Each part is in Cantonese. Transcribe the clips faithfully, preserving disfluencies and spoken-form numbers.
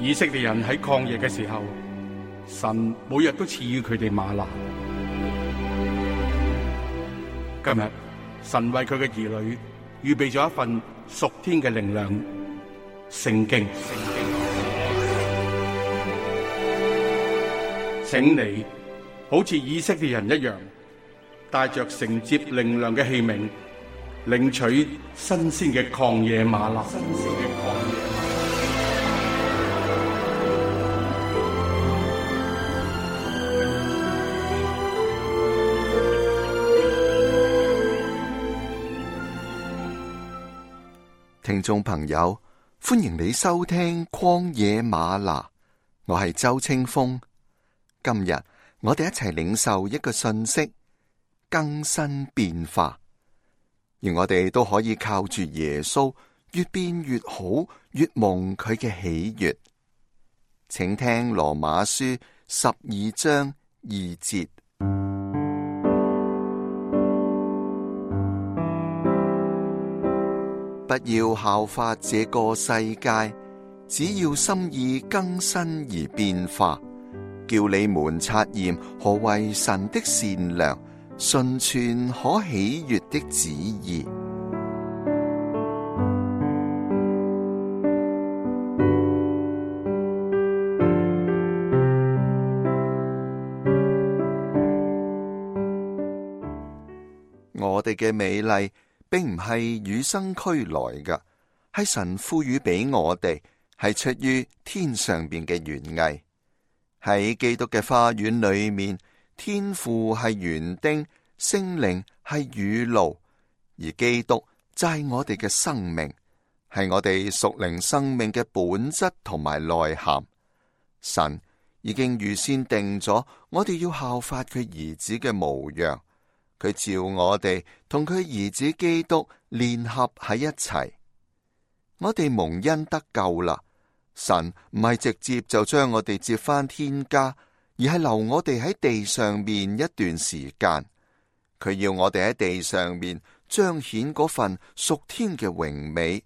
以色列人喺曠野嘅時候，神每日都賜予佢哋嗎哪。今日神為佢嘅兒女預備咗一份屬天嘅靈糧——聖經。請你好似以色列人一樣，帶着承接靈糧嘅器皿，領取新鮮嘅曠野嗎哪。新鮮嘅曠野嗎哪。聽眾朋友，歡迎你收聽曠野嗎哪，我係周清風。今日我哋一齊領受一個信息，更新變化，而我哋都可以靠住耶穌越變越好，越蒙佢嘅喜悅。請聽羅馬書十二章二節。不要效法這個世界，只要心意更新而變化，叫你們察驗何為神的善良、純全、可喜悅的旨意。我哋嘅美麗並唔係與生俱來嘅，係神賦予俾我哋，係出於天上邊嘅園藝。喺基督嘅花園裏面，天父係園丁，聖靈係雨露，而基督就係我哋嘅生命，係我哋屬靈生命嘅本質同埋內涵。神已經預先定咗，我哋要效法佢兒子嘅模樣，佢召我哋同佢兒子基督聯合喺一齊。我哋蒙恩得救啦。神唔係直接就將我哋接返天家，而係留我哋喺地上面一段時間。佢要我哋喺地上面彰顯嗰份屬天嘅榮美。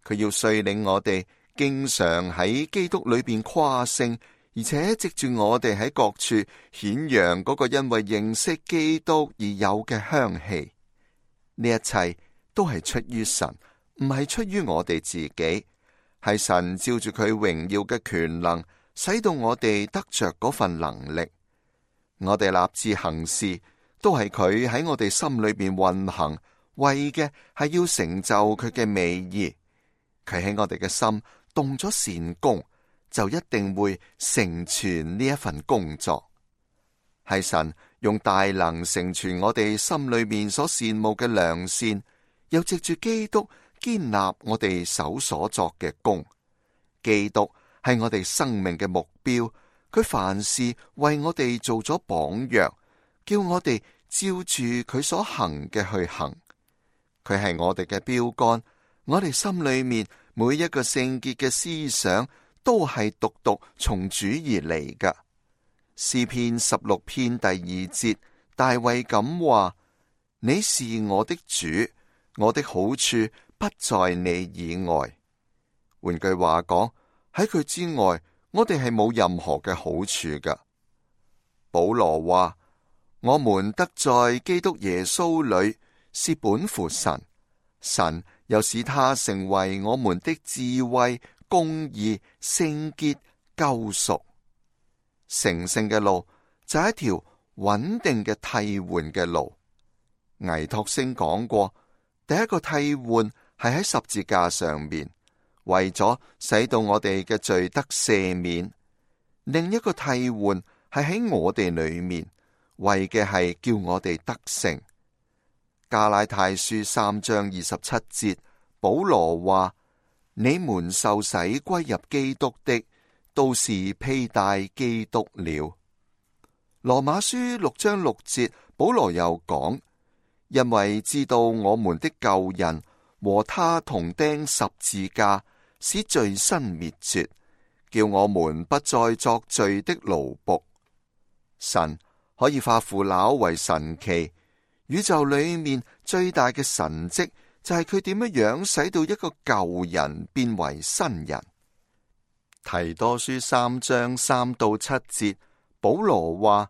佢要率領我哋經常喺基督裏邊誇勝，而且藉住我哋喺各處顯揚嗰個因為認識基督而有嘅香氣。呢一切都係出於神，唔係出於我哋自己。係神照住佢榮耀嘅權能，使到我哋得着嗰份能力。我哋立志行事，都係佢喺我哋心裏邊運行，為嘅係要成就佢嘅美意。佢喺我哋嘅心動咗善工，就一定會成全呢一份工作。係神用大能成全我哋心裏面所羨慕嘅良善，又藉住基督堅立我哋手所作嘅工。基督係我哋生命嘅目標，佢凡事為我哋做咗榜樣，叫我哋照住佢所行嘅去行。佢係我哋嘅標杆，我哋心裏面每一個聖潔嘅思想都係獨獨從主而嚟㗎。詩篇十六篇第二節，大衛咁話：你是我的主，我的好處不在你以外。換句話講，喺佢之外，我哋係冇任何嘅好處噶。保羅話：我們得在基督耶穌裏，是本乎神，神又使他成為我們的智慧、公義、聖潔、救贖。成聖嘅路就係一條穩定嘅替換嘅路。倪柝聲講過，第一個替換係喺十字架上面，為咗使到我哋嘅罪得赦免；另一個替換係喺我哋裏面，為嘅係叫我哋得勝。加拉太書三章二十七節，保羅話：你們受洗歸入基督的，都是披戴基督了。羅馬書六章六節，保羅又講：因為知道我們的舊人和他同釘十字架，使罪身滅絕，叫我們不再作罪的奴僕。神可以化腐朽為神奇，宇宙裏面最大嘅神蹟就係佢點樣樣使到一個舊人變為新人。提多書三章三到七節，保羅話：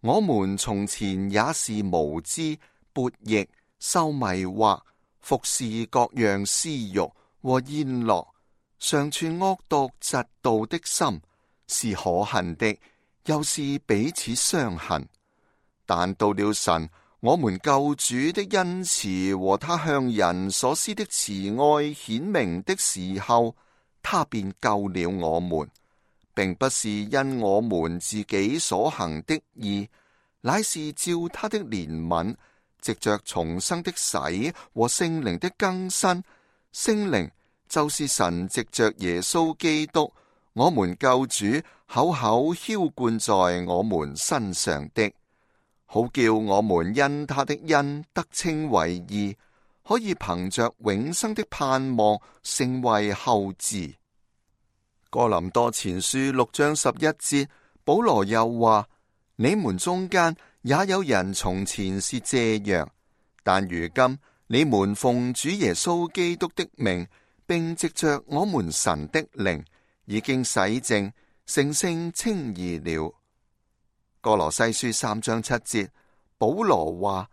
我們從前也是無知、悖逆、受迷惑，服侍各樣私欲和宴樂，常存惡毒嫉妒的心，是可恨的，又是彼此相恨。但到了神我們救主的恩慈和他向人所施的慈愛顯明的時候，他便救了我們，並不是因我們自己所行的義，乃是照他的憐憫，藉着重生的洗和聖靈的更新。聖靈就是神藉着耶穌基督，我們救主口口澆灌在我們身上的，好叫我們因他的恩得稱為義，可以憑着永生的盼望成為後嗣。哥林多前書六章十一節，保羅又話：你們中間也有人從前是這樣，但如今你們奉主耶穌基督的名，並藉着我們神的靈，已經洗淨，成聖稱義了。歌羅西書三章七節，保羅話：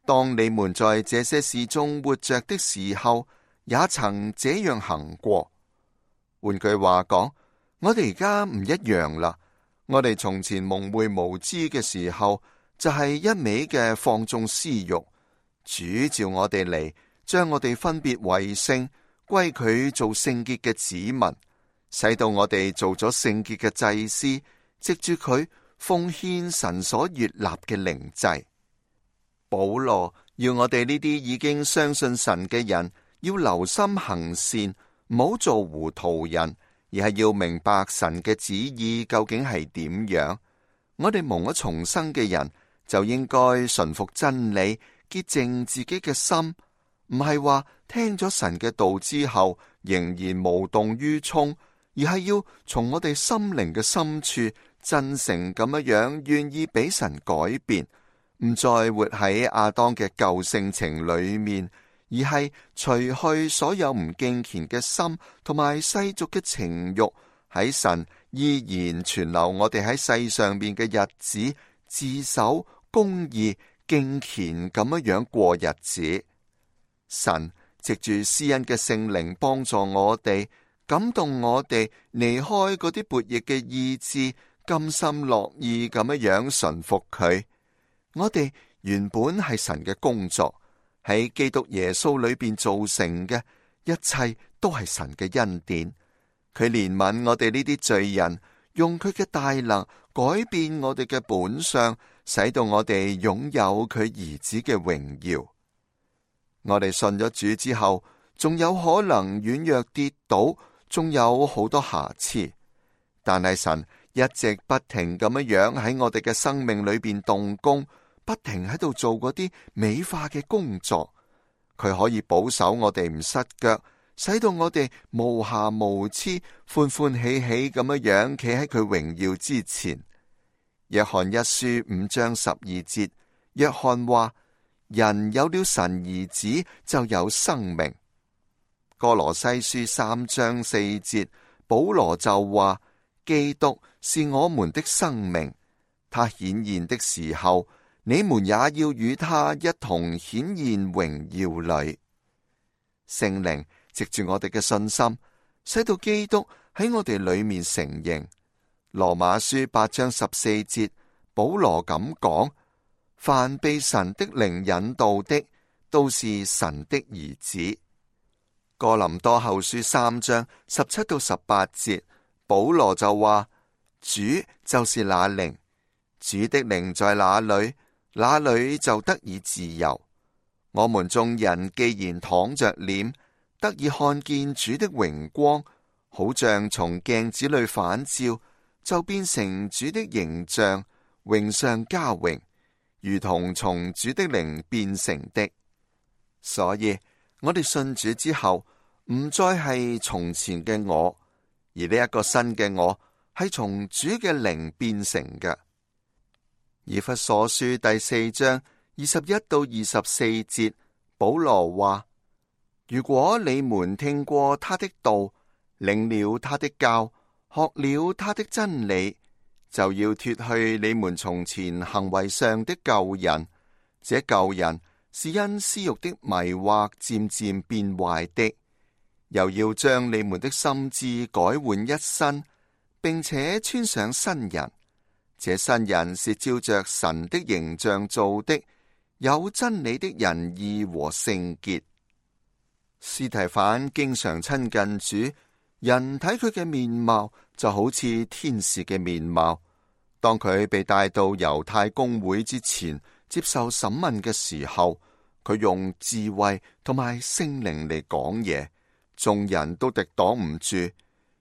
當你們在這些事中活着的時候，也曾這樣行過。換句話講，我哋而家唔一樣啦。我哋從前蒙昧無知嘅時候，就係一味嘅放縱私欲。主召我哋嚟，將我哋分別為聖，歸佢做聖潔嘅子民，使到我哋做咗聖潔嘅祭司，藉住佢奉獻神所悅納嘅靈祭。保羅要我哋呢啲已經相信神嘅人，要留心行善，唔好做糊塗人，而係要明白神嘅旨意究竟係點樣。我哋蒙咗重生嘅人，就應該順服真理，潔淨自己嘅心，唔係話聽咗神嘅道之後仍然無動於衷，而係要從我哋心靈嘅深處真誠咁樣樣願意俾神改變，唔再活喺亞當嘅舊性情裏面，而係除去所有唔敬虔嘅心同埋世俗嘅情慾，喺神依然存留我哋喺世上邊嘅日子，自守公義敬虔咁樣樣過日子。神藉住施恩嘅聖靈幫助我哋，感動我哋離開嗰啲悖逆嘅意志，甘心樂意咁樣樣順服佢。我哋原本係神嘅工作，喺基督耶穌裏邊造成嘅一切都係神嘅恩典。佢憐憫我哋呢啲罪人，用佢嘅大能改變我哋嘅本相，使到我哋擁有佢兒子嘅榮耀。我哋信咗主之後，仲有可能軟弱跌倒，仲有好多瑕疵，但係神一直不停咁樣樣喺我哋嘅生命裏邊動工，不停喺度做嗰啲美化嘅工作。佢可以保守我哋唔失腳，使到我哋無瑕無疵，歡歡喜喜咁樣樣企喺佢榮耀之前。約翰一書五章十二節，約翰話：人有了神兒子就有生命。歌羅西書三章四節，保羅就話：基督是我們的生命，他顯現的時候，你們也要與他一同顯現榮耀裏。聖靈藉住我哋嘅信心，使到基督喺我哋裏面成形。羅馬書八章十四節，保羅咁講：凡被神的靈引導的，都是神的兒子。哥林多後書三章十七到十八節，保羅就話：主就是那靈，主的靈在哪裏，那裏就得以自由。我們眾人既然躺着臉，得以看見主的榮光，好像從鏡子裏反照，就變成主的形象，榮上加榮，如同從主的靈變成的。所以我哋信主之後，唔再係從前嘅我，而呢一個新嘅我係從主嘅靈變成嘅。以弗所書第四章二十一到二十四節，保羅話：如果你們聽過他的道，領了他的教，學了他的真理，就要脫去你們從前行為上的舊人。這舊人是因私欲的迷惑漸漸變壞的，又要將你們的心志改換一新，並且穿上新人。這新人是照着神的形象做的，有真理的仁義和聖潔。司提反經常親近主，人睇佢嘅面貌就好似天使嘅面貌。當佢被帶到猶太公會之前接受審問嘅時候，佢用智慧同埋聖靈嚟講嘢，眾人都敵擋唔住。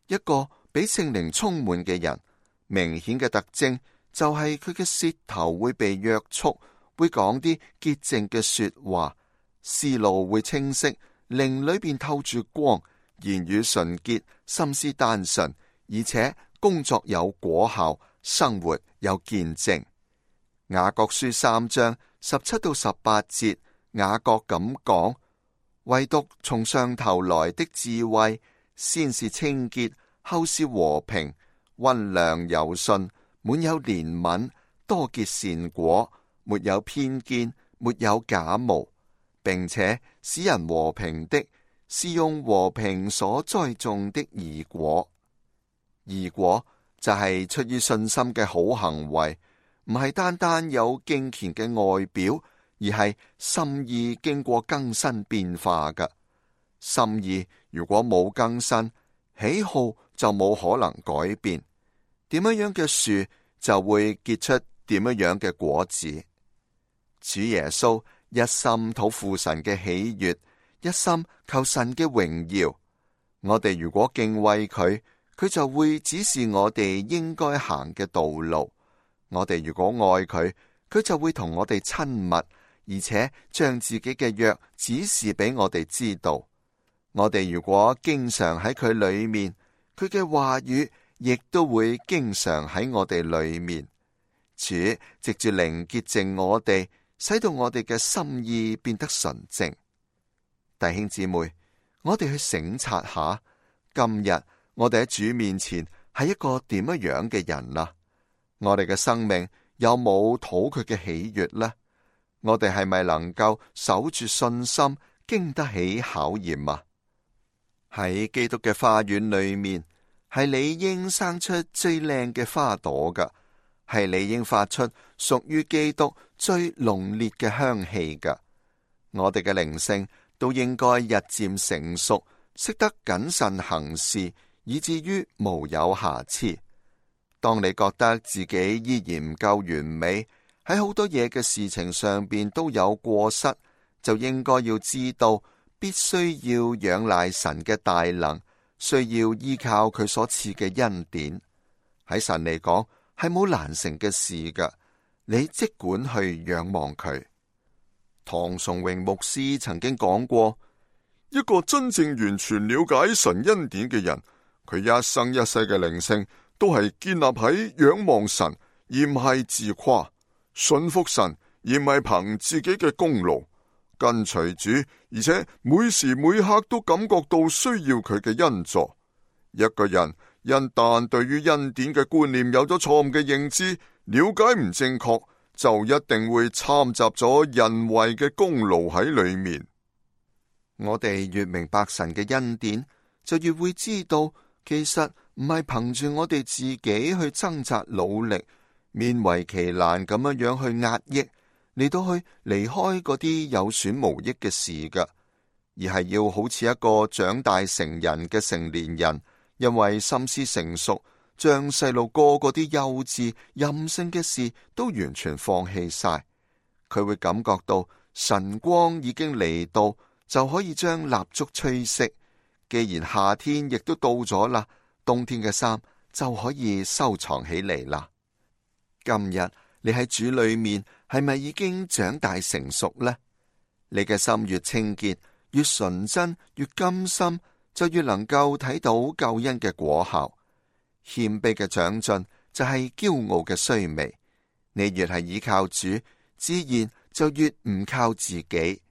一個俾聖靈充滿嘅人，明顯嘅特徵就係佢嘅舌頭會被約束，會講啲潔淨嘅說話，思路會清晰，靈裏邊透住光，言語純潔，心思單純，而且工作有果效，生活有見證。雅各書三章十七到十八節，雅各咁講：唯獨從上頭來的智慧，先是清潔，後是和平，溫良柔順，滿有憐憫，多結善果，沒有偏見，沒有假冒，並且使人和平的，是用和平所栽種的義果。義果就係出於信心嘅好行為，唔係單單有敬虔嘅外表，而係心意經過更新變化嘅。心意如果冇更新，喜好就冇可能改變。點樣樣嘅樹就會結出點樣樣嘅果子。主耶穌一心討父神嘅喜悅，一心求神嘅榮耀。我哋如果敬畏佢，佢就會指示我哋應該行嘅道路。我哋如果愛佢，佢就會同我哋親密，而且將自己嘅約指示俾我哋知道。我哋如果經常喺佢裏面，佢嘅話語亦都會經常喺我哋裏面。主藉住靈潔淨我哋，使到我哋嘅心意變得純正。弟兄姊妹，我哋去省察下，今日我哋喺主面前係一個點樣樣嘅人啊？我哋嘅生命有冇討佢嘅喜悅呢？我哋係咪能夠守住信心，經得起考驗啊？喺基督嘅花園裏面，係理應生出最靚嘅花朵噶，係理應發出屬於基督最濃烈嘅香氣噶。我哋嘅靈性都應該日漸成熟，識得謹慎行事，以至於無有瑕疵。當你覺得自己依然唔夠完美，喺好多嘢嘅事情上邊都有過失，就應該要知道，必須要仰賴神嘅大能，需要依靠佢所賜嘅恩典。喺神嚟講，係冇難成嘅事噶，你即管去仰望佢。唐崇榮牧師曾經講過，一個真正完全了解神恩典嘅人，佢一生一世嘅靈性都係建立喺仰望神，而唔係自誇；信服神，而唔係憑自己嘅功勞；跟隨主，而且每時每刻都感覺到需要佢嘅恩助。一個人一旦對於恩典嘅觀念有咗錯誤嘅認知，了解唔正確，就一定會摻雜咗人為嘅功勞喺裏面。我哋越明白神嘅恩典，就越會知道，其實唔係憑住我哋自己去掙扎努力，勉為其難咁樣樣去壓抑，嚟到去離開嗰啲有損無益嘅事噶，而係要好似一個長大成人嘅成年人，因為心思成熟，將細路哥嗰啲幼稚任性嘅事都完全放棄晒。佢會感覺到晨光已經嚟到，就可以將蠟燭吹熄。既然夏天亦都到咗啦，冬天嘅衫就可以收藏起嚟啦。今日你喺主裏面係咪已經長大成熟呢？你嘅心越清潔，越純真，越甘心，就越能夠睇到救恩嘅果效。謙卑嘅長進就係驕傲嘅衰微。你越係依靠主，自然就越唔靠自己。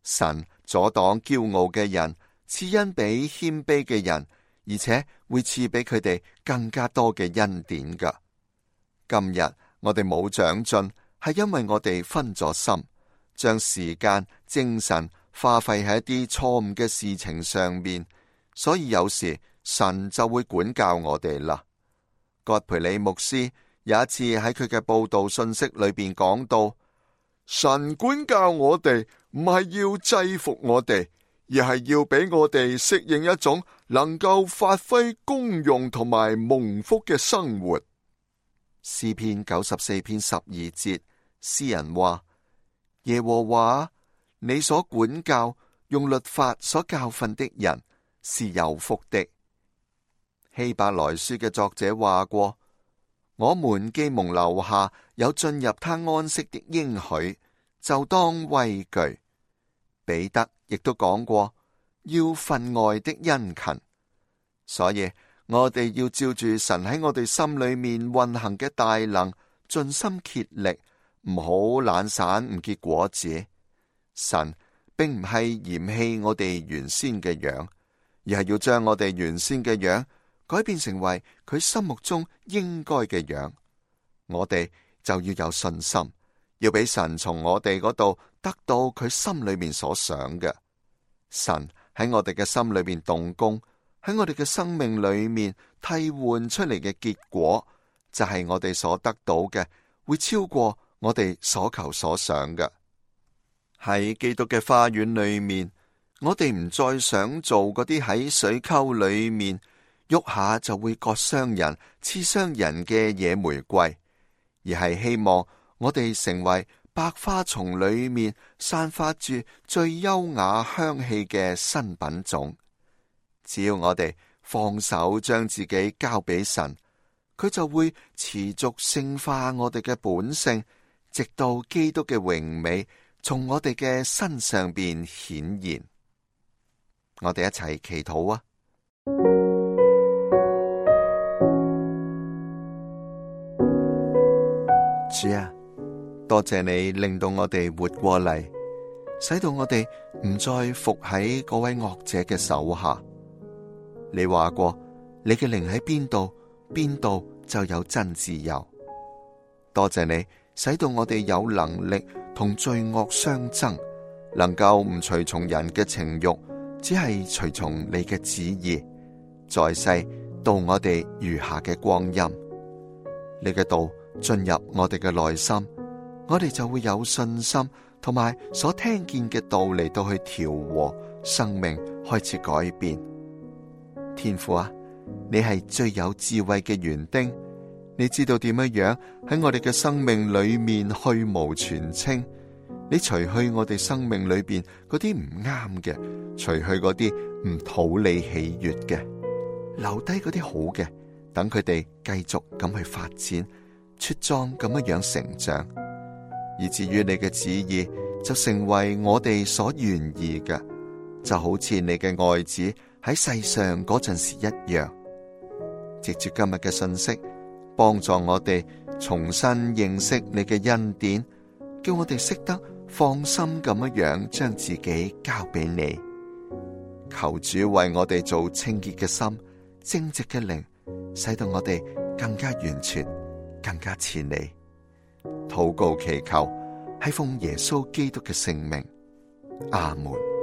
神阻擋驕傲嘅人，賜恩俾謙卑嘅人，而且會賜俾佢哋更加多嘅恩典噶。今日我哋冇長進，係因為我哋分咗心，將時間、精神花費喺一啲錯誤嘅事情上面，所以有時神就會管教我哋啦。葛培理牧師有一次喺佢嘅報道信息裏邊講到，神管教我哋唔係要制服我哋，而係要俾我哋適應一種能夠發揮功用同埋蒙福嘅生活。詩篇九十四篇十二節，詩人話：耶和華，你所管教用律法所教訓的人是有福的。希伯來書嘅作者話過：我們既蒙留下有進入他安息的應許，就當畏懼。彼得亦都講過，要分外的殷勤。所以我哋要照住神喺我哋心裏面運行嘅大能，盡心竭力，唔好懶散唔結果子。神並唔係嫌棄我哋原先嘅樣，而係要將我哋原先嘅樣改變成為佢心目中應該嘅樣。我哋就要有信心，要俾神從我哋嗰度得到佢心裏面所想嘅。神喺我哋嘅心裏面動工，喺我哋嘅生命裏面替換出嚟嘅結果，就係我哋所得到嘅會超過我哋所求所想嘅。喺基督嘅花園裏面，我哋唔再想做嗰啲喺水溝裏面喐下就會割傷人、刺傷人嘅野玫瑰，而係希望我哋成為百花叢裏面散發住最優雅香氣嘅新品種。只要我哋放手將自己交俾神，佢就會持續聖化我哋嘅本性，直到基督嘅榮美從我哋嘅身上邊顯現。我哋一齊祈禱啊！主啊，多謝你令到我哋活過嚟，使到我哋唔再服喺嗰位惡者嘅手下。你話過，你嘅靈喺邊度，邊度就有真自由。多謝你，使到我哋有能力同罪惡相爭，能夠唔隨從人嘅情欲，只係隨從你嘅旨意，在世度我哋餘下嘅光陰。你嘅道進入我哋嘅內心，我哋就會有信心，同埋所聽見嘅道嚟到去調和，生命開始改變。天父啊，你係最有智慧嘅園丁，你知道點樣樣喺我哋嘅生命裏面去蕪存菁。你除去我哋生命裏邊嗰啲唔啱嘅，除去嗰啲唔討你喜悅嘅，留低嗰啲好嘅，等佢哋繼續咁去發展，茁壯咁樣樣成長，以至於你嘅旨意就成為我哋所願意嘅，就好似你嘅愛子喺世上嗰陣時一樣。藉住今日嘅信息，幫助我哋重新認識你嘅恩典，叫我哋識得放心咁樣樣將自己交俾你。求主為我哋做清潔嘅心、正直嘅靈，使到我哋更加完全、更加似你。禱告祈求係奉耶穌基督嘅聖名，阿門。